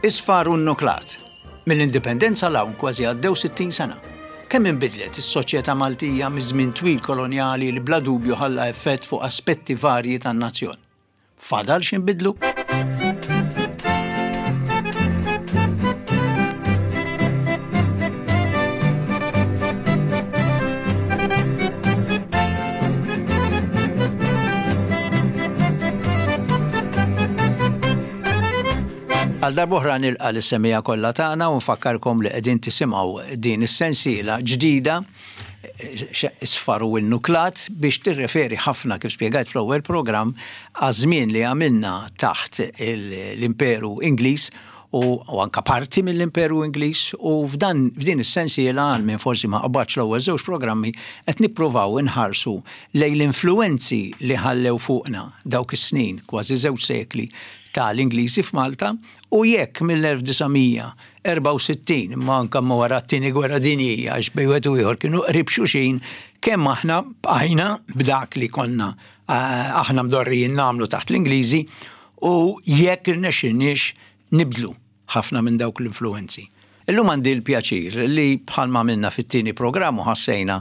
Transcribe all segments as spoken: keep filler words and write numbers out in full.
Isfar u nuklat. Mill-indipendenza 'l hawn kważi għaddew sittin sena. Kemm inbidlet is-soċjetà Maltija miż-żmien twil kolonjali li bla dubju ħalla effett fuq aspetti varji tan-nazzjon. Fadal x'inbidlu? Għal darb'oħra nilqa' lis-semmiegħa kollha tagħna u nfakkarkom li qegħdin tisimgħu din is-sensiela ġdida Isfar u Nuklat biex tirreferi ħafna, kif spjegajt fl-ewwel programm, għaż-żmien li għamilna taħt l-Imperu Ingliż u anka parti mill-Imperu Ingliż, u f'dan f'din is-sensiela, għal min forsi ma qabadx l-ewwel żewġ programmi, qed nippruvaw inħarsu lejn l-influwenzi li ħallew fuqna dawk is-snin, kważi żewġ sekli, tal-Ingliżi f'Malta, u jekk mill-elf disa' mija erbgħa u sittin, imma anke ma wara t-Tieni Gwerra Dinjija, għax bejn wieħed u ieħor kienu qrib xulxin, kemm aħna bqajna b'dak li konna aħna mdorrijin nagħmlu taħt l-Ingliżi u jekk irnexxilniex nibdlu ħafna minn dawk l-influenzi. Illum għandi l-pjaċir li bħalma għamilna fit-tieni programm u ħassejna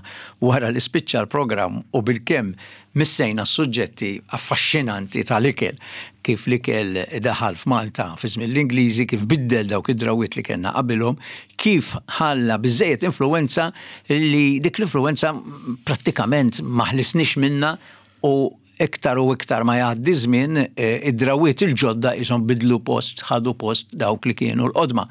wara li spiċċa l-programm u bilkemm missejna s-suġġetti affaxxinanti tal-ikel, kif l-ikel daħal f'Malta fi żmien l-Ingliżi, kif biddel dawk id-drawiet li kellna qabilhom, kif ħalla biżejjed influenza li dik l-influenza prattikament ma ħlisniex minna, u iktar u iktar ma jgħaddi żmien, id-drawiet il-ġodda qishom bidlu post, ħadu post dawk li kienu l-qodma.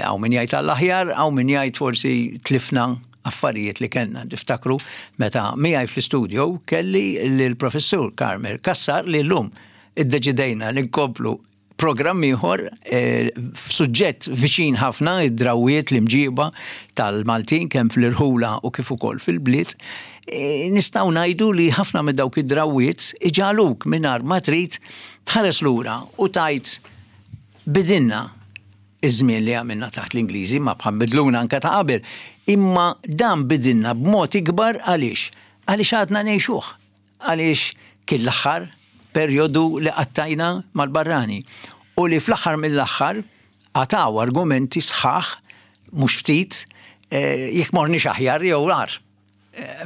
Hawn min jgħid għall-aħjar, hawn min jgħid forsi tlifna affarijiet li kellna. Niftakru meta miegħi fl-istudio kelli lill-professur Carmel Cassar li llum iddeċidejna li nkomplu programm ieħor f'suġġett viċin ħafna, id-drawiet, l-imġiba tal-Maltin kemm fl-irħula u kif ukoll fil-bliet. Nistgħu ngħidu li ħafna minn dawk id-drawiet iġaluk mingħajr ma trid tħares lura u tgħid bidilna iż-żmien li għamilna taħt l-Ingliżi, ma bħal bidluna anke ta' qabel, imma dan bidilna b'mod ikbar. Għaliex? Għaliex għadna ngħixuh, għaliex kien l-aħħar perjodu li qattajna mal-barrani u li fl-aħħar mill-aħħar għataw argumenti sħaħ mhux ftit jekk morniex aħjar jew agħar.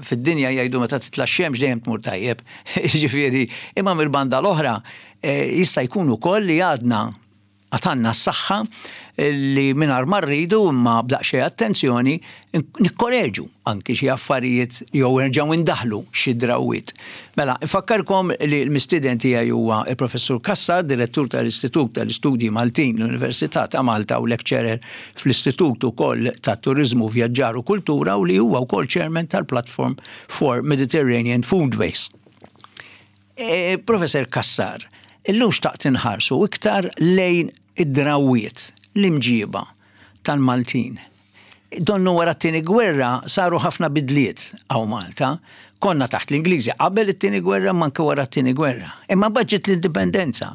Fid-dinja jgħidu meta titla' x-xemx dejjem tmur tajjeb, jiġifieri, imma mill-banda l-oħra jista' jkun ukoll li għadna għatanna s-saħħa li mingħajr ma rridu imma b'daqsxejn attenzjoni nikkoreġu anki xi affarijiet jew nerġgħu indaħlu xi drawiet. Mela, infakkarkom li l-mistieden tiegħi huwa il-Professur Cassar, direttur tal-Istitut tal-Istudji Maltin l-Università ta' Malta u lecturer fl-Istitut ukoll ta' Turiżmu, Vjaġġar u Kultura, u li huwa wkoll chairman tal-Platform for Mediterranean Foodways. E, Professor Cassar, illum xtaqt inħarsu iktar lejn id-drawiet, l-imġiba tal-Maltin. Donnu wara t-tieni gwerra saru ħafna bidliet hawn Malta. Konna taħt l-Ingliżi qabel it-tieni gwerra, ma anke wara t-tieni gwerra. Imma mbagħad ġiet l-indipendenza.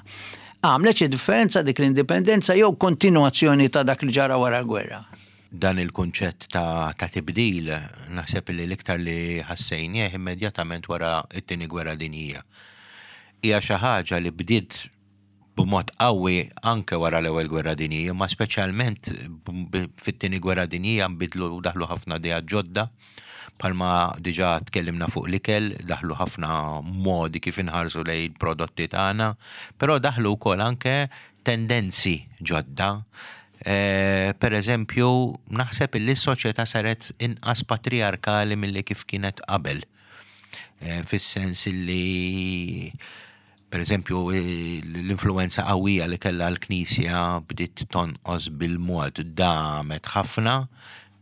Għamlet xi differenza dik l-indipendenza jew kontinuazzjoni ta' dak li ġara wara l-gwerra? Dan il-kunċett ta', ta' tibdil naħseb li l-iktar li ħassejnieh immedjatament wara t-tieni gwerra dinjija. Hija xi ħaġa li bdiet b'mod qawwi anke wara l-ewwel gwerra dinjija, ma speċjalment fit-tieni gwerra dinjija nbidlu u daħlu ħafna ideat ġodda, bħalma diġà tkellimna fuq l-ikel, daħlu ħafna modi kif inħarsu lejn il-prodotti tagħna, però daħlu wkoll anke tendenzi ġodda. Eh, per eżempju, naħseb illi s-soċjetà saret inqas patriarkali milli kif kienet qabel. Eh, fis-sens illi per eżempju, l-influenza qawwija li kellha l-Knisja bdiet tonqos bil-mod, damet ħafna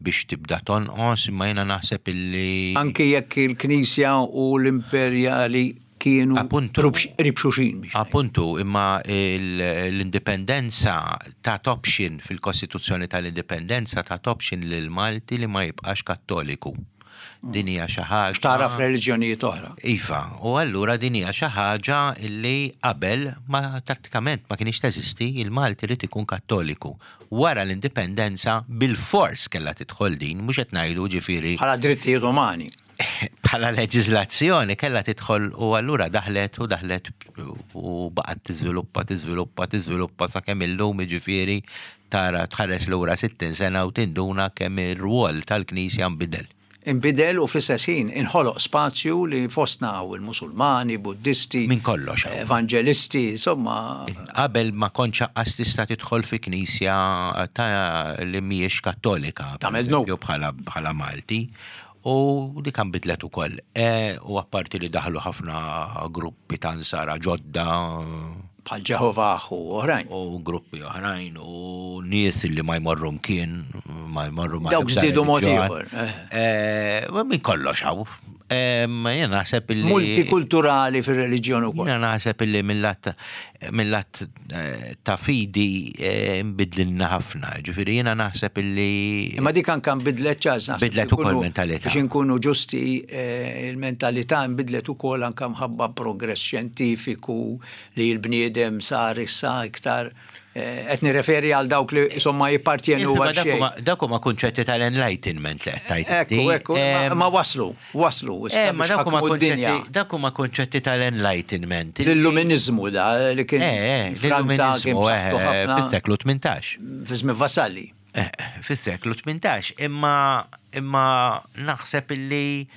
biex tibda tonqos, imma jiena naħseb illi Anki jekk il-Knisja u l-Imperjali kienu Appuntu. qrib xulxin biex ngħid. Appuntu, imma l-indipendenza ta' option fil-Kostituzzjoni tal-Indipendenza ta' option lil Malti li ma jibqax Kattoliku. Din hija xi ħaġa Tara f'reliġjonijiet oħra. Iva, u allura din hija xi ħaġa li qabel ma prattikament ma kienx teżisti, il-Malti rid ikun Kattoliku. Wara l-indipendenza bil-fors kellha tidħol din, mhux qed ngħidu ġifieri Bħala drittijiet umani. Bħala leġiżlazzjoni kellha tidħol u allura daħlet u daħlet u baqgħet tiżviluppa, tiżviluppa, tiżviluppa sakemm illum, jiġifieri, tara tħares lura sittin sena u tinduna kemm ir-rwol tal-Knisja nbidel. Inbidel u fl-istess ħin inħoloq spazju li fostna hawn il-Musulmani, Buddisti, Min kollox hawn. Evangelisti, insomma. Qabel ma kontx anqas tista' tidħol fi knisja ta' li mhijiex Kattolika, per Tagħmel dnub. eżempju, bħala bħala Malti. U dik bidlet ukoll. E, u apparti li daħlu ħafna gruppi ta' Nsara ġodda bħal Ġehovah u oħrajn. U gruppi oħrajn u nies li ma jmorru mkien, ma jmorru ma' Dawk ebda żdiedu mod reliġjon. ieħor, eh. Eh, ma Min kollox hawn. Eh, ma Jien naħseb illi. Multikulturali fir-reliġjon ukoll. Jiena naħseb illi mill-lat mill-lat eh, ta' fidi eh, nbidlilna ħafna. Ġifieri jiena naħseb illi. Imma dik anka nbidlet ċaz, naħseb Bidlet li ukoll nkunu- mentalità. Biex inkunu ġusti, eh, il-mentalità nbidlet ukoll anka mħabba progress xjentifiku li l-bniedem sar issa iktar eh, qed nirreferi għal dawk li insomma jippartjenu Ma għal dak xejn. huma- Dak huma kunċetti tal-enlightenment li qed tgħid Ekku, inti. ekku, ma- Em, ma waslu, waslu, issa Eh, ma biex dak huma ħakmu d-dinja. kunċetti dak huma kunċetti tal-enlightenment. L-illuminizmu da li kien Eh, eh, Franza kien l-illuminizmu, b'saħħtu eh, ħafna fis-seklu tmintax. fi żmien Vassalli. Eh, fis-seklu tmintax, imma imma naħseb illi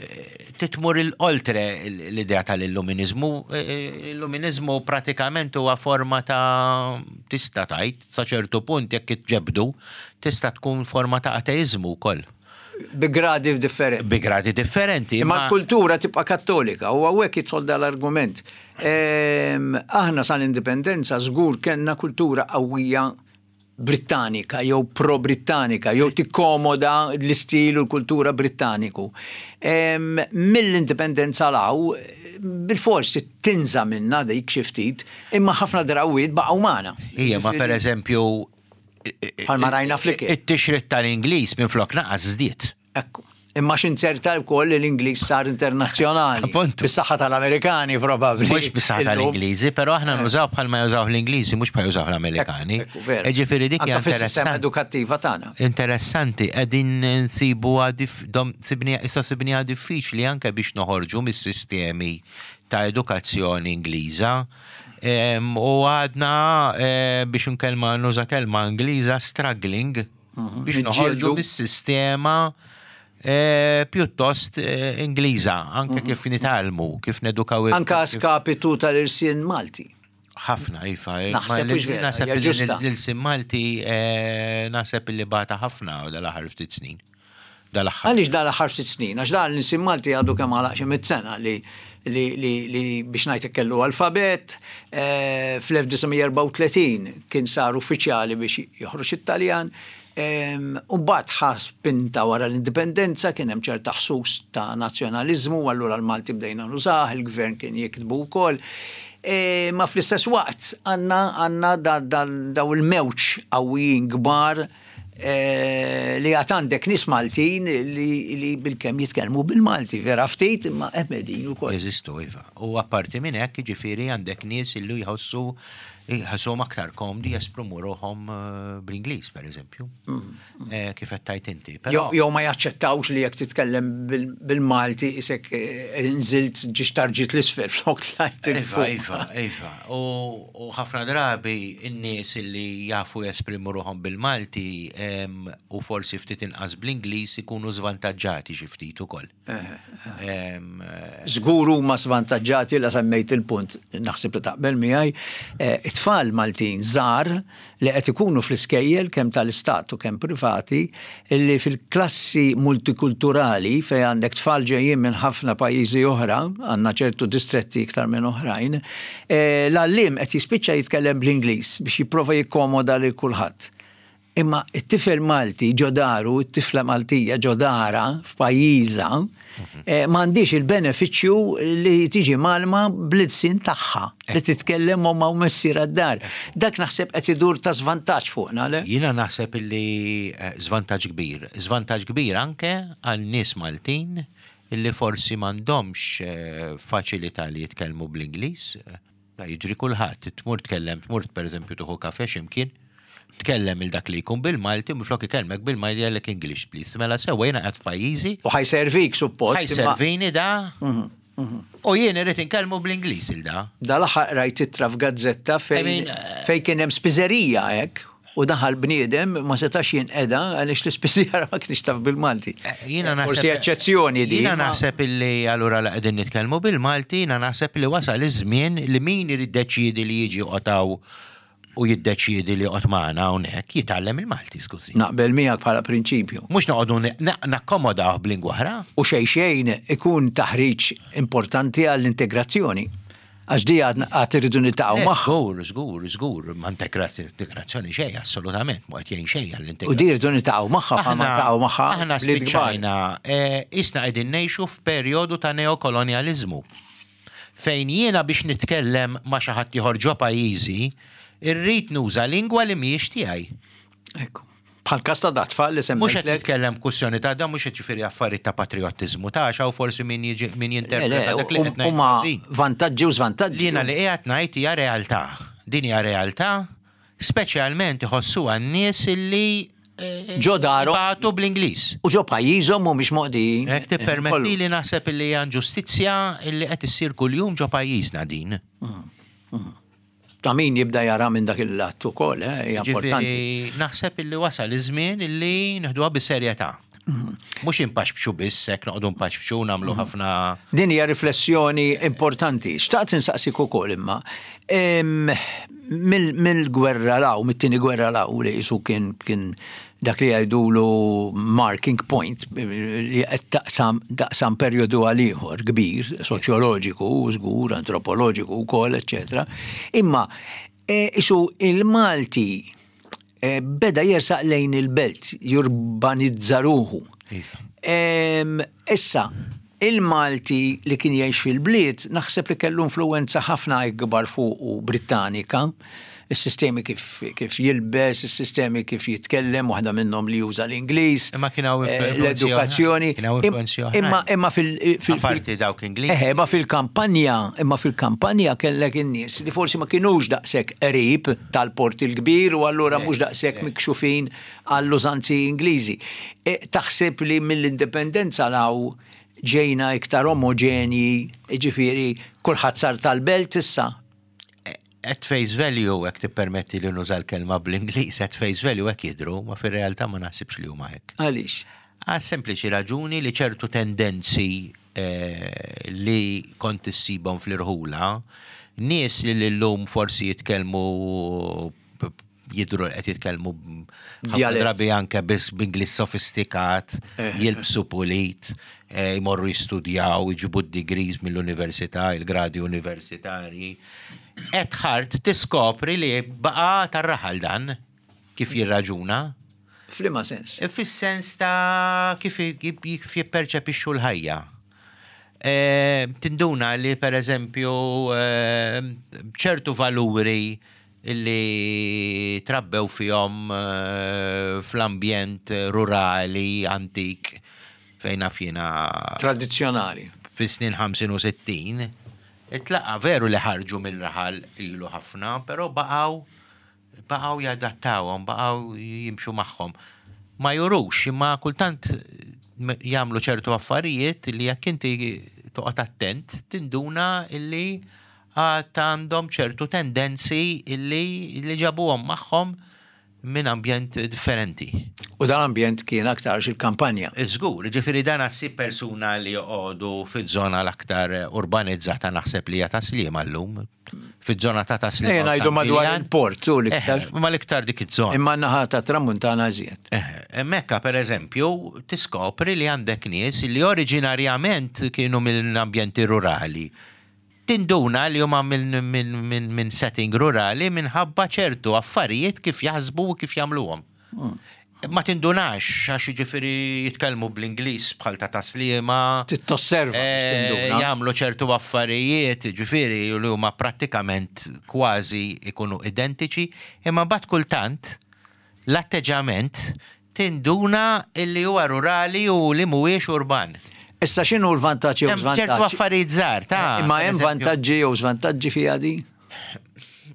eh, titmur il-oltre l-idea tal-illuminizmu. Eh, L-illuminizmu pratikament huwa forma ta', tista' tgħid, sa ċertu punt jekk itġebdu, tista' tkun forma ta' ateizmu wkoll. Bi gradi differenti. Bi gradi differenti. Imma l-kultura tibqa' Kattolika u hawnhekk jidħol dal-argument. Ehm, Aħna sal-indipendenza żgur kellna kultura qawwija Brittanika jew pro-Brittanika jew tikkomoda l-istil u l-kultura Brittaniku. Ehm, Mill-indipendenza 'l hawn bil-forsi tinża minna dik xi ftit, imma ħafna drawwiet baqgħu magħna. Ija, ma per eżempju Bħalma rajna fl-ikel. It-tixrid tal-Ingliż minn flok naqas żdied. Ekku. Imma x'inzerta wkoll li l-Ingliż sar internazzjonali. Appuntu. Bis-saħħa tal-Amerikani probabbli. Mhux bis-saħħa Illum. tal-Ingliżi, però aħna nużaw bħalma jużaw l-Ingliżi, mhux bħal jużaw l-Amerikani. Ekku, veru. Ġifieri dik hija Anka fis-sistema interessanti. edukattiva tagħna. Interessanti, qegħdin nsibu sibni issa sibniha diffiċli anke biex noħorġu mis-sistemi ta' edukazzjoni Ingliża. Em, U għadna eh, biex nkelma nuża kelma Ingliża, struggling biex noħorġu Niġġieldu. mis-sistema eh, pjuttost eh, Ingliża, anke kif nitgħallmu, kif nedukaw il- Anka kif- skapitu tal-irsien Malti. ħafna, iva. Naħseb Ma hux vera, Naħseb hija li ġusta. l-ilsien Malti eh, naħseb li bata ħafna dal-aħħar ftit snin. Dal-aħħar. Għaliex dal aħħar ftit snin? Għax dan l-ilsien Malti għadu kemm għalaq xi mitt sena li li li, li biex ngħid kellu alfabet, eh, fl-elf disa' mija erbgħa u tletin kien sar uffiċjali biex joħroġ it-Taljan. U mbagħad ħa spinta wara l-indipendenza, kien hemm ċerta ħsus ta' nazzjonaliżmu, allura l-Malti bdejna nużah, il-gvern kien jiktbu wkoll. E, ma fl-istess waqt għandna għandna da- da- daw il-mewġ qawwijin kbar eh, li għad għandek nies Maltin li, li bil-kemm jitkellmu bil-Malti, vera ftit, imma qegħdin ukoll. Jeżistu, iva. U apparti minn hekk, ġifieri, għandek nies illu jħossu jħossuhom aktar komdi jesprimu ruħhom eh, bl-Ingliż, per eżempju. Eh, Kif qed tgħid inti. Però Jew jew ma jaċċettawx li jekk titkellem bil- bil-Malti isek eh, nżilt ġiex tarġit l-isfel flok tlajt Iva, 'il fuq. iva, iva. U u ħafna drabi in-nies illi jafu jesprimu ruħhom bil-Malti em, u forsi ftit inqas bl-Ingliż ikunu żvantaġġati xi ftit ukoll. Em, eh, Żgur huma svantaġġati la semmejt il-punt, naħseb li taqbel miegħi, eh, it-tfal Maltin żgħar li qed ikunu fl-iskejjel kemm tal-istat u kemm privati li fil-klassi multikulturali fejn għandek tfal ġejjin minn ħafna pajjiżi oħra, għandna ċertu distretti iktar minn oħrajn, eh, l-għalliem qed jispiċċa jitkellem bl-Ingliż biex jipprova jikkomoda lil kulħadd. Imma it-tifel Malti ġo daru, it-tifla Maltija ġo darha f'pajjiżha, eh, m'għandix il-benefiċċju li tiġi mgħallma bl-ilsien tagħha, li titkellem ommha u missierha d-dar. Dak naħseb qed idur ta' żvantaġġ fuqna, le? Jiena naħseb illi eh, żvantaġġ kbir. Żvantaġġ kbir anke għal nies Maltin illi forsi m'għandhomx eh, faċilità li jitkellmu bl-Ingliż. Da jiġri kulħadd, tmur tkellem, tmur per eżempju tieħu kafe x'imkien, Tkellem il dak li jkun bil-Malti, minflok ikellmek bil-Malti jgħidlek "English, please." Mela sewwa, jiena qed f'pajjiżi. U ħa jservik suppost. Ħa jservini da. U jien irrid inkellmu bl-Ingliż il da. Dal-aħħar rajt ittra f'gazzetta I mean, fejn fejn kien hemm spiżerija hekk u daħal bniedem, ma setax jinqeda għaliex l-ispiżjara ma kienx taf bil-Malti. Eh, Jiena naħseb. Forsi eċċezzjoni di. Jiena ma- naħseb illi allura la qegħdin nitkellmu bil-Malti, jiena naħseb li wasal iż-żmien li min irid deċiedi li jiġi joqgħod u jiddeċiedi li joqgħod magħna hawnhekk jitgħallem il-Malti, skużi. Naqbel miegħek bħala prinċipju. Mhux noqogħdu na- nakkomodaw b'lingwa oħra. U xej xejn ikun taħriġ importanti għall-integrazzjoni. Għax di għad għad irridu niltaqgħu Le, magħha. Żgur, żgur, żgur, ma integrazzjoni xejn, assolutament, ma qed jgħin xejn U għall-integrazzjoni. di rridu niltaqgħu magħha bħalma ltaqgħu magħha Aħna bliet kbar. spiċċajna, eh, isna qegħdin ngħixu f'perjodu ta' neokolonializmu. Fejn jiena biex nitkellem ma' xi ħadd ieħor ġo pajjiżi, irrid nuża lingwa li mhijiex tiegħi. Ekku. Bħal każ ta' dat-tfal li Mhux qed semmejtlek. nitkellem kwestjoni ta' da, mhux qed ġifieri affarijiet ta' patriottiżmu ta' għax hawn forsi min jiġi min Le, le, jinterpreta dak li qed ngħid Huma ħażin. vantaġġi u żvantaġġi. Jiena li qiegħed ngħid hija realtà. Din hija realtà, speċjalment iħossuha n-nies illi eh, Ġo darhom. jibagħtu bl-Ingliż. U ġo pajjiżhom mhumiex moqdijin. Jekk tippermetti li naħseb illi hija inġustizzja illi qed issir kuljum ġo pajjiżna din. Ta' min jibda jara minn dak il-lat ukoll, eh, hija importanti. Ġifieri naħseb illi wasal iż-żmien illi neħduha bis-serjetà. Mhux inpaxpxu biss, hekk noqogħdu npaxpxu nagħmlu ħafna. Din hija riflessjoni importanti. Xtaqt insaqsik ukoll imma em, mill- mill-gwerra 'l hawn, mit-tieni gwerra 'l hawn li jisu kien kien dak li jgħidulu marking point li qed taqsam daqsam perjodu għal ieħor kbir, soċjoloġiku, żgur, antropoloġiku wkoll, eċetera. Imma e, isu il-Malti e, beda jersaq lejn il-belt, jurbanizza ruħu. Iva. Em, Issa, il-Malti li kien jgħix fil-bliet, naħseb li kellu influenza ħafna ikbar fuq Britannika, il-sistemi kif, kif jilbes, il-sistemi kif jitkellem, waħda minnhom li juża l-Ingliż, Imma kien hawn eh, influenzi l-edukazzjoni. oħrajn. Kien hawn influenzi oħrajn. Imma imma fil, fil, Apparti dawk Ingliż. Eħe, imma fil-kampanja, imma fil-kampanja kellek in-nies li forsi ma kinux daqshekk qrib tal-port il-kbir u allura mhux daqshekk mikxufin għall-użanzi Ingliżi. E, taħseb li mill-indipendenza 'l hawn ġejna iktar omoġenji, ġifieri kulħadd sar tal-belt issa? At face value, jekk tippermetti li nuża l-kelma bl-Ingliż, at face value hekk jidru, ma fir-realtà ma naħsibx li huma hekk. Għaliex? Għal sempliċi raġuni li ċertu tendenzi eh, li kont issibhom fl-irħula, nies li l-lum forsi jitkellmu, jidru qed jitkellmu ħafna Dialett. drabi anke biss b'Ingliż sofistikat, Eh. jilbsu pulit, eh, jmorru jistudjaw, jġibu d-degrees mill-università, il-gradi universitarji. At heart tiskopri li baqa tar-raħal dan kif jirraġuna. F'liema sens? Fis-sens ta' kif kif jipperċepixxu l-ħajja. E, tinduna li per eżempju e, ċertu valuri li trabbew fihom e, fl-ambjent rurali antik fejn naf jiena Tradizzjonali. fis-snin ħamsin u sittin, itlaqa veru li ħarġu mill-raħal ilu ħafna, però baqgħu baqgħu jadattawhom, baqgħu jimxu magħhom. Ma jurux, imma kultant jagħmlu ċertu affarijiet li jekk inti toqgħod attent, tinduna illi għad għandhom ċertu tendenzi illi li ġabuhom magħhom minn ambjent differenti. U dan ambjent kien aktar il-kampanja. Żgur, ġifieri dan għassib persuna li joqogħdu fiż-żona l-aktar urbanizzata, naħseb li hija Tas-Sliema llum. Fiż-żona ta' Tas-Sliema. Ejja u ngħidu San madwar Ġiljan. il-port u l-iktar. Eh, Ma l-iktar dik iż-żona. Imma naħa ta' tramuntana iżjed. Eh, Mekka, per eżempju, tiskopri li għandek nies li oriġinarjament kienu mill-ambjenti rurali. Tinduna li huma minn min, min, min setting rurali minħabba ċertu affarijiet kif jaħsbu u kif jagħmluhom. Ma tindunax, għax ġifieri jitkellmu bl-Ingliż bħal ta' Tas-Sliema. Titosserva biex Eh, tinduna. Jagħmlu ċertu affarijiet, ġifieri li huma prattikament kważi ikunu identiċi, imma mbagħad kultant l-atteġġament tinduna illi huwa rurali u li mhuwiex urban. Issa x'inhu l-vantaġġi u Hemm ċertu żvantaġġi? affarijiet żgħar ta' Imma per hemm eżempju. vantaġġi jew żvantaġġi fiha di?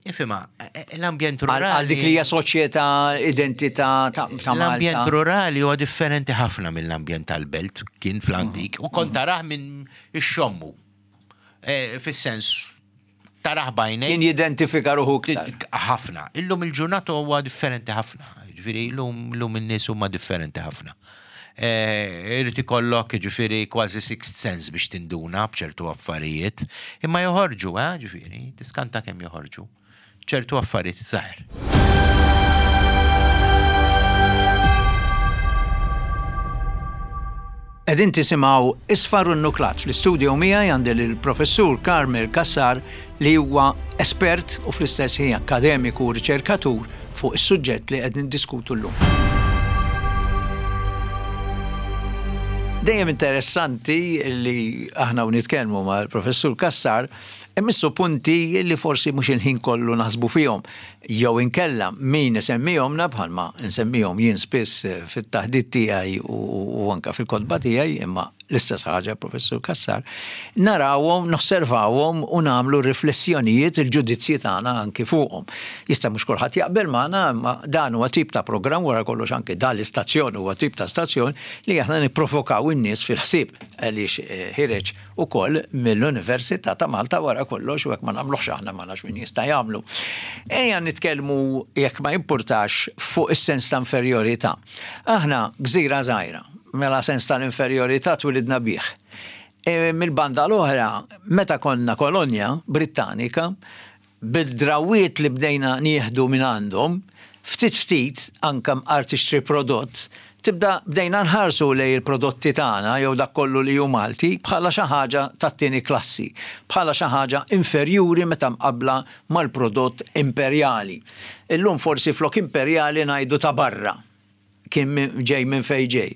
Ifhimha, l-ambjent rurali. Għal dik li hija soċjetà, identità ta' Malta. L-ambjent rurali huwa differenti ħafna mill-ambjent tal-belt kien fl-antik u kont tarah minn ix-xommu. E, fis-sens tarah b'għajnejk. Kien jidentifika ruħu iktar. Ħafna. Illum il-ġurnata huwa differenti ħafna. Ġifieri illum in-nies huma differenti ħafna. E, irid ikollok ġifieri kważi sixth sense biex tinduna b'ċertu affarijiet, imma joħorġu, eh, ġifieri, tiskanta kemm joħorġu. Ċertu affarijiet żgħar. Qegħdin tisimgħu Isfar u Nuklat. Fl-istudio miegħi għandi lill-Professur Carmel Cassar li huwa espert u fl-istess ħin akademiku u riċerkatur fuq is-suġġett li qed niddiskutu llum. Dejjem interessanti li aħna u nitkellmu mal-Professur Cassar immissu punti li forsi mhux il-ħin kollu naħsbu fihom. Jew inkella min isemmihomna bħalma nsemmihom jien spiss fit-taħdit tiegħi u anke fil-kotba tiegħi, imma l-istess ħaġa Professur Cassar, narawhom, nosservawhom u nagħmlu riflessjonijiet il-ġudizzji tagħna anki fuqhom. Jista' mhux kulħadd jaqbel magħna, imma dan huwa tip ta' programm wara kollox anke dan l-istazzjon huwa tip ta' stazzjon li aħna nipprovokaw in-nies fil-ħsieb għaliex ħireġ ukoll mill-Università ta' Malta wara kollox u hekk ma nagħmluhx aħna ma nafx min jista' jagħmlu. Ejja nitkellmu jekk ma jimpurtax fuq is-sens ta' inferjorità. Aħna gżira żgħira, mela sens tal-inferjorità twilidna bih. E, mill-banda l-oħra, meta konna kolonja Brittanika, bil-drawiet li bdejna nieħdu minn għandhom, ftit ftit anke mqar tixtri prodott, tibda bdejna nħarsu lej il-prodotti tagħna jew dak kollu li hu Malti bħala xi ħaġa tat-tieni klassi, bħala xi ħaġa inferjuri meta mqabbla mal-prodott imperjali. Illum forsi flok imperjali ngħidu ta' barra, kien ġej minn fejn ġej.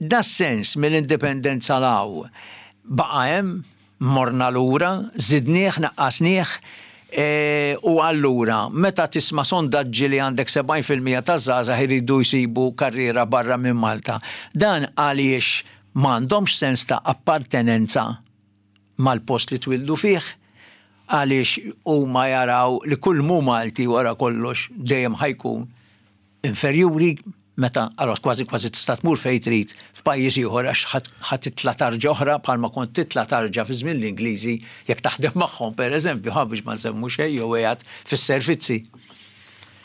Da sens mill-indipendenza law baqa' hemm, morna lura, żidnieh, naqqasnieh, e, u allura meta tisma' sondaġġi li għandek sebgħin fil-mija taż-żgħażagħ iridu jsibu karriera barra minn Malta, dan għaliex m'għandhomx sens ta' appartenenza mal-post li twildu fih, għaliex huma jaraw li kull mu Malti wara kollox dejjem ħajkun inferjuri, meta allora kważi kważi tista' tmur fejn trid f'pajjiż ieħor għax ħadd titla' tarġa oħra bħalma kont titla' tarġa fi żmien l-Ingliżi jekk taħdem magħhom pereżempju, ħa biex ma nsemmu xejn jew qiegħed fis-servizzi.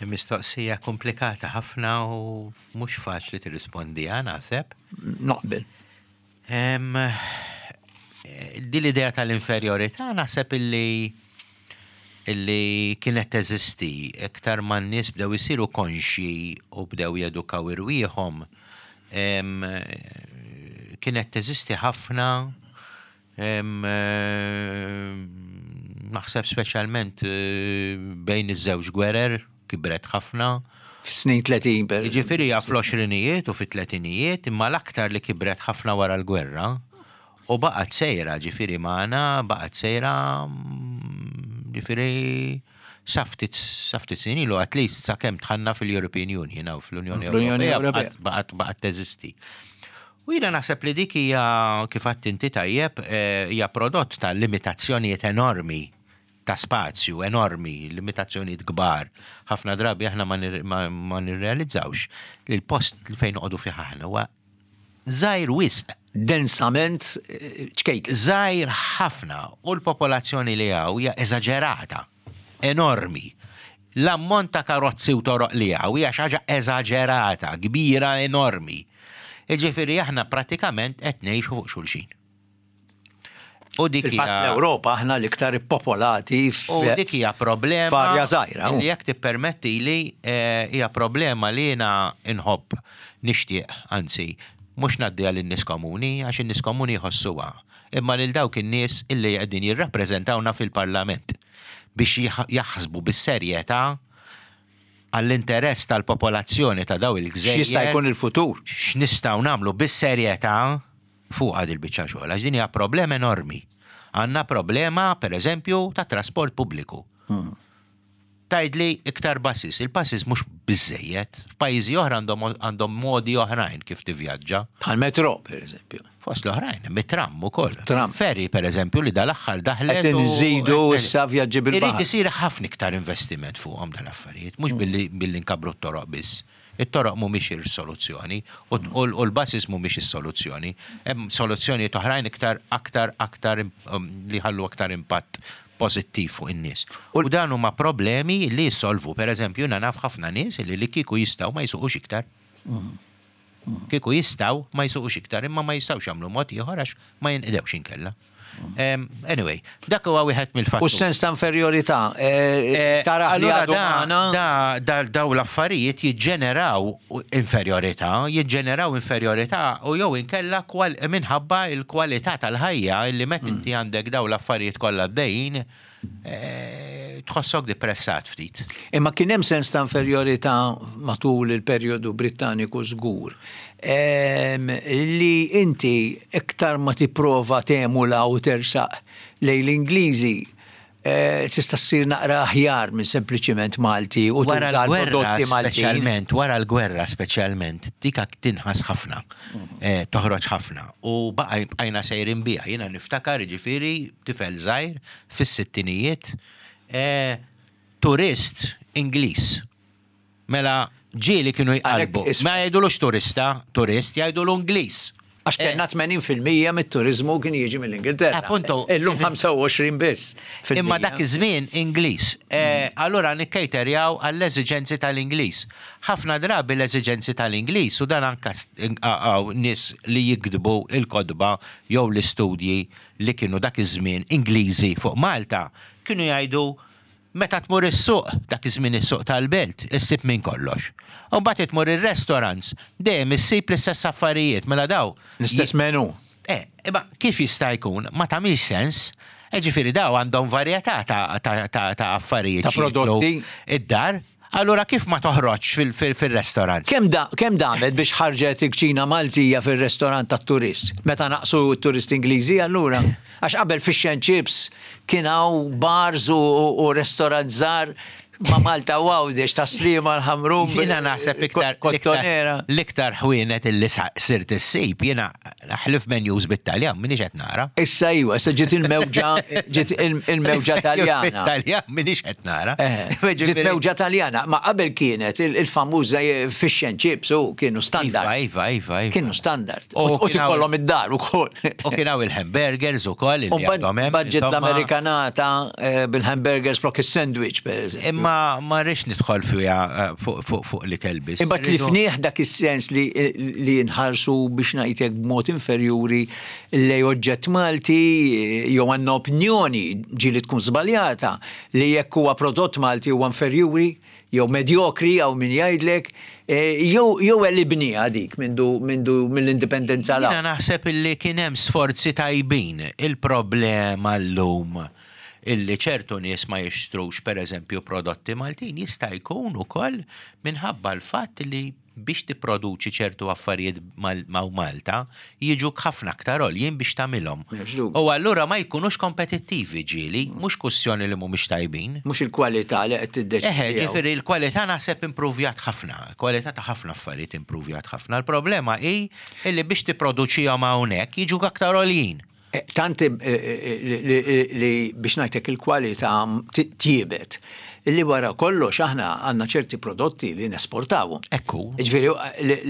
Mistoqsija komplikata ħafna u mhux faċli tirrispondiha naħseb. Naqbel. Din l-idea tal-inferjorità naħseb illi illi kienet teżisti iktar ma n-nies bdew isiru konxji u bdew jedukaw irwieħhom, kienet teżisti ħafna, naħseb speċjalment bejn iż-żewġ gwerer, kibret ħafna. Fis-snin tletin, per eżempju. Jiġifieri hija fl-għoxrinijiet u fit-tletinijiet, imma l-aktar li kibret ħafna wara l-gwerra u baqgħet sejra, ġifieri magħna, baqgħet sejra, ġifieri sa ftit, sa ftit snin ilu, at least sakemm dħalna fil-European Union u fl-Unjoni L-Unjoni Ewropea, Ewropea. baqgħet, baqgħet teżisti. U jiena naħseb li dik hija, kif għedt inti tajjeb, eh, hija prodott ta' limitazzjonijiet enormi, ta' spazju enormi, limitazzjonijiet kbar. Ħafna drabi aħna ma nir-, ma, ma nirrealizzawx li l-post li fejn noqogħdu fih aħna huwa żgħir wisq. Densament, eh, ċkejk. Żgħir ħafna u l-popolazzjoni li hawn hija eżaġerata, enormi. L-ammont ta' karozzi u toroq li hawn hija xi ħaġa eżaġerata, kbira, enormi. Jiġifieri aħna pratikament qed ngħixu fuq xulxin. U dik Fil-fatt hija l-Ewropa aħna l-iktar ippopolati f- U dik hija problema f'arja żgħira, u. li jekk tippermetti li, eh, hija problema li jiena inħobb nixtieq, anzi, mhux ngħaddiha lin-nies komuni, għax in-nies komuni jħossuha, imma lil dawk in-nies illi qegħdin jirrappreżentawna fil-Parlament biex jaħ-, jaħsbu bis-serjetà għall-interess tal-popolazzjoni ta' daw il-gżejjer. X'jista' jkun il-futur? X'nistgħu nagħmlu bis-serjetà fuq għad il-biċċa xogħol, għax din hija problema enormi. Għandna problema, per eżempju, ta' trasport pubbliku. Hmm. Tgħidli iktar buses. Il-buses mhux biżejjed. F'pajjiżi oħra għandhom għandhom modi oħrajn kif tivvjaġġa. Bħal metro, per eżempju. Fost l-oħrajn, mit-tram ukoll. Tram. Ferry, per eżempju, li dal-aħħar daħlet. Qed u- inżidu issa vjaġġi bil-baħar. Irid isir ħafna iktar investiment fuqhom dal-affarijiet, mhux billi billi nkabbru t-toroq biss. It-toroq mhumiex ir-soluzzjoni u u u l-buses mhumiex is-soluzzjoni. Hemm soluzzjonijiet oħrajn iktar aktar aktar um, li ħallu aktar impatt pożittiv fuq in-nies. U dan huma problemi li jissolvu. Per eżempju, jiena naf ħafna nies li li kieku jistgħu ma jsuqux iktar. Kieku jistgħu ma jsuqux iktar, imma ma jistgħux jagħmlu mod ieħor għax ma jinqdewx inkella. Um, anyway, dak huwa wieħed mill-fatturi. U s-sens ta' inferjorità, eh, taraħ li Allura għadu da, magħna. da, da, daw l-affarijiet jiġġeneraw inferjorità, jiġġeneraw inferjorità u jew inkella kwal, minħabba il-kwalità tal-ħajja illi met inti għandek daw l-affarijiet kollha għaddejjin, eh, tħossok depressat ftit. Imma kien hemm sens ta' inferjorità matul il-perjodu Brittaniku żgur. Em, li inti iktar ma tipprova temula u tersaq lejn l-Ingliżi eh, tista' ssir naqra aħjar minn sempliċiment Malti u Wara tuża l-gwerra l-prodotti Maltin. speċjalment, wara l-gwerra speċjalment, dika tinħas ħafna, eh, toħroġ ħafna. U baqa bqajna sejrin biha, jiena niftakar ġifieri tifel żgħir fis-sittinijiet, eh, turist Ingliż. Mela ġieli kienu jqalbu. Għalhekk is- Ma jgħidulux turista, turist, jgħidulu Ingliż. Għax kellna tmenin fil-mija mit-turizmu kien jiġi mill-Ingilterra. Appunto. Illum ħamsa u għoxrin biss fil-mija. Imma dak iż-żmien Ingliż. Eh, Allura nikkejterjaw għall-eżiġenzi tal-Ingliż. Ħafna drabi l-eżiġenzi tal-Ingliż u dan anka għaw nies li jiktbu il-kotba jew l-istudji li kienu dak iż-żmien Ingliżi fuq Malta kienu jgħidu meta tmur is-suq, dak iż-żmien is-suq tal-belt, issib minn kollox. U mbagħad tmur ir-restaurants, dejjem issib l-istess affarijiet, mela daw. L-istess menu. Eh, imma kif jista' jkun? Ma tagħmilx sens. E ġifieri daw għandhom varjetà ta' ta' ta' ta' affarijiet. Ta' x'jieklu prodotti. id-dar. Allura kif ma toħroġ fil-restaurant? Kemm da, kemm damet biex ħarġet il-kċina Maltija fil-restorant tat-turist? Meta naqsu t-turist Ingliżi allura? Għax qabel fish and chips kien hawn bars u, u, u restaurant żgħar ma' Malta u Għawdex ta' Sliema, l-Ħamrun. Jiena naħseb iktar Kottonera. l-iktar ħwienet illi sa- sirt issib, jiena ħlief menus bit-Taljan, minix qed nara. Issa iwa, issa ġiet il-mewġa, ġiet il- il-mewġa Taljana. Bit-Taljan minix qed nara. Eh, Ġiet mewġa Taljana, ma qabel kienet il- il-famuża fish and chips u kienu standard. Iva, iva, iva. Kienu standard. U U u kien hawn- tikollhom id-dar ukoll. U kien hawn il-hamburgers ukoll U illi għandhom hemm, budget insomma. l-Amerikanata eh, bil-hamburgers flok il-sandwich, per eżempju. Imma ma rridx nidħol fiha eh, fuq fuq fuq l-ikel biss. Imma tlifnieh dak is-sens li li nħarsu biex ngħidlek b'mod inferjuri lej oġġett Malti jew għandna opinjoni ġieli tkun żbaljata li jekk huwa prodott Malti huwa inferjuri jew medjokri jew min jgħidlek eh, jew jew għelibnieha dik mindu mindu mill-indipendenza la. Jiena naħseb illi kien hemm sforzi tajbin. Il-problema llum illi ċertu nies ma jixtrux per eżempju prodotti Maltin jista' jkun ukoll minħabba l-fatt li biex tipproduċi ċertu affarijiet mal- ma' Malta jiġu ħafna aktar għoljin biex tagħmilhom. M'hemmx dubju. U allura ma jkunux kompetittivi ġieli, mhux kwistjoni li mhumiex tajbin. Mhux il-kwalità li qed tiddeċidi. Eħe, ġifieri l-kwalità naħseb improvjat ħafna, kwalità ta' ħafna affarijiet improvjat ħafna. Il-problema hi illi biex tipproduċihom hawnhekk jiġu aktar għoljin. Eh, Tanti eh, eh, li- li li biex ngħidlek il-kwalità ti- tjiebet. Li wara kollox aħna għandna ċerti prodotti li nesportawhom. Ekku. Ġifieri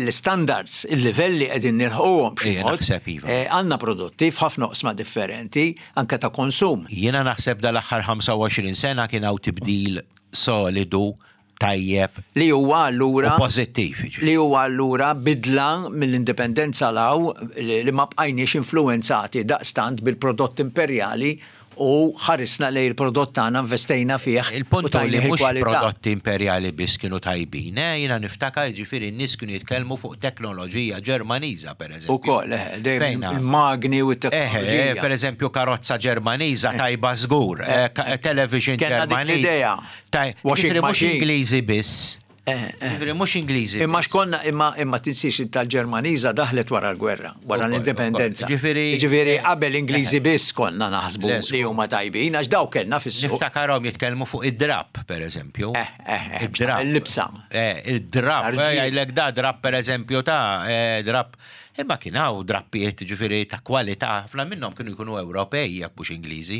l-standards, il-livelli qegħdin nilħquhom b'xi Ejja, mod. naħseb iva. Eh, Għandna prodotti f'ħafna oqsma differenti, anke ta' konsum. Jiena naħseb dal-aħħar ħamsa u għoxrin sena kien hawn tibdil solidu, tajjeb Li huwa u allura pożittiv. Ġifieri. li huwa allura bidla mill-indipendenza law li li ma bqajniex influenzati daqstant bil-prodott imperjali u ħarisna lejn il-prodott tagħna, investejna fih u Il-punt hu li tajnieh mhux il-kwalità. prodotti imperjali biss kienu tajbin, eh? Jiena niftakar ġifieri n-nies kienu jitkellmu fuq teknoloġija Ġermaniża pereżempju. Ukoll, eh, dejjem Fejn naf? il-magni u Eħe, t-teknoloġija. per eżempju karozza Ġermaniża tajba żgur, eh, ka- television Kellna dik Ġermaniż. l-idea. Taj- Washing Ġifieri mhux machine. Ingliżi biss. Ġifieri mhux Ingliżi. Imma x'konna imma imma tinsiex tal-Ġermaniża daħlet wara l-gwerra, wara l-indipendenza. Ġifieri qabel Ingliżi biss konna naħsbu li huma tajbin għax daw kellna fis-suq. Niftakarhom jitkellmu fuq id-drab, pereżempju. Eh, eh, eh, id-drab. Il-libsa. Eh, id-drab. Jgħidlek da drab pereżempju ta' drab. Imma kien hawn drappijiet ġifieri ta' kwalità, ħafna minnhom kienu jkunu Ewropej jekk mhux Ingliżi.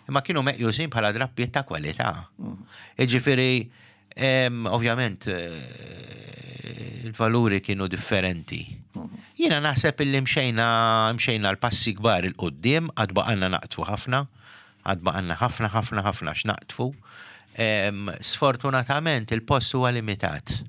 Imma kienu meqjusin bħala drappijiet ta' kwalità. Ġifieri ovvjament il-valuri kienu differenti. Jiena naħseb illi mxejna mxejna l-passi kbar il-qoddim, għad baqgħalna naqtfu ħafna, għad baqgħalna ħafna ħafna ħafna x'naqtfu. Sfortunatament il-post huwa limitat.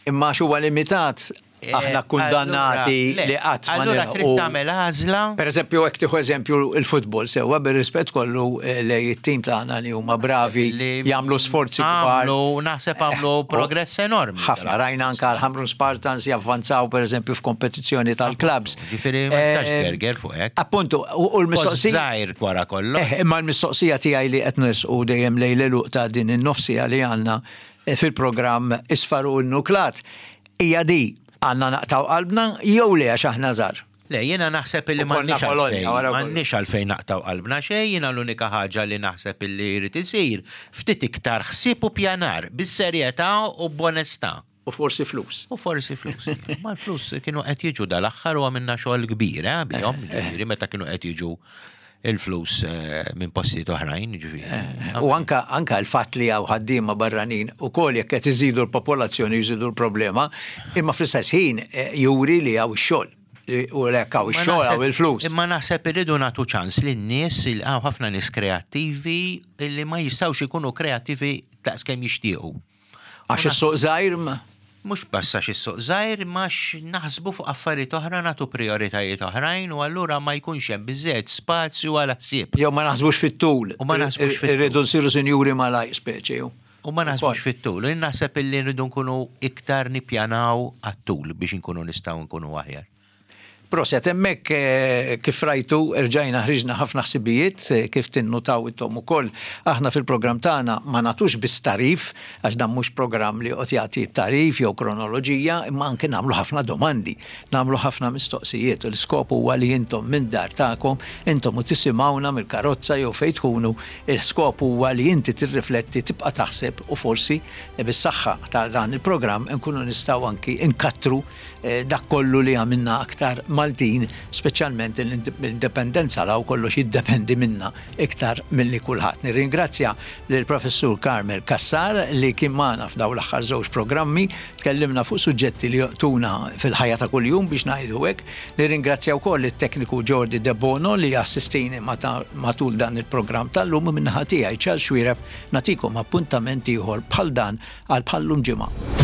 Imma huwa limitat aħna kundannati li qatt ma Allura trid tagħmel għażla. Pereżempju hekk tieħu eżempju il-futbol sewwa bir-rispett kollu lej it-tim tagħna li huma bravi jagħmlu sforzi kbar. Naħseb għamlu progress enormi. Ħafna rajna anke l-Ħamrun Spartans javvanzaw pereżempju f'kompetizzjoni tal-klabs. Ġifieri ma tistax berger fuq hekk. Appuntu, u l-mistoqsija żgħir wara kollox. Imma l-mistoqsija tiegħi li qed nisqu dejjem lejn l-għeluq ta' din in-nofsija li għandna fil-programm Isfar u Nuklat hija di għandna naqtaw qalbna jew le għax aħna żgħar. Le, jiena naħseb illi m'għandniex għalfejn, m'għandniex għalfejn naqtaw qalbna xejn, jiena l-unika ħaġa li naħseb illi jrid isir ftit iktar ħsieb u pjanar bis-serjetà u b'onestà. U forsi flus. U forsi flus. Ma l-flus kienu qed jiġu dal-aħħar u għamilna xogħol kbir, eh, bihom, ġifieri meta kienu qed jiġu il-flus minn postijiet oħrajn, ġifieri. U anka anka l-fatt li hawn ħaddiema barranin ukoll jekk qed iżidu l-popolazzjoni jżidu l-problema, imma fl-istess ħin juri li hawn ix-xogħol. U lek hawn ix-xogħol hawn il-flus. Imma naħseb irridu nagħtu ċans lin-nies, hawn ħafna nies kreattivi li ma jistgħux ikunu kreattivi daqskemm jixtiequ. Għax is-suq żgħir ma Mhux biss għax is-suq żgħir, ma naħsbu fuq affarijiet oħra, nagħtu prioritajiet oħrajn u allura ma jkunx hemm biżżejjed spazju għal ħsieb. Jew ma naħsbux fit-tul. U ma naħsbux fit-tul. Irridu nsiru sinjuri malajr speċi. U ma naħsbux fit-tul. Naħseb illi rridu nkunu iktar nippjanaw għat-tul biex inkunu nistgħu nkunu aħjar. Proset, hemmhekk kif rajtu rġajna ħriġna ħafna ħsibijiet kif tinnutaw intom ukoll. Aħna fil-programm tagħna ma nagħtux biss tarif, għax dan mhux programm li qed jagħti tarif jew kronoloġija, imma anke nagħmlu ħafna domandi, nagħmlu ħafna mistoqsijiet u l-iskop huwa li intom minn dar tagħkom, intom u tisimgħuna mill-karozza jew fejn tkunu, l-iskop huwa li inti tirrifletti, tibqa' taħseb u forsi bis-saħħa ta' dan il-programm nkunu nistgħu anki nkattru dak kollu li għamilna aktar Maltin, speċjalment l-indipendenza law kollox jiddependi minna iktar milli kulħadd. Nirringrazzja lill-Professur Carmel Cassar li kien magħna f'dawn l-aħħar żewġ programmi, tkellimna fuq suġġetti li joqtuna fil-ħajja ta' kuljum biex ngħidu hekk. Nirringrazzja wkoll it-tekniku Jordi De Bono li assistini matul dan il-programm tal-lum, minnaħa tiegħi Charles Xuereb nagħtikom appuntament ieħor bħal dan għal bħallum ġimgħa.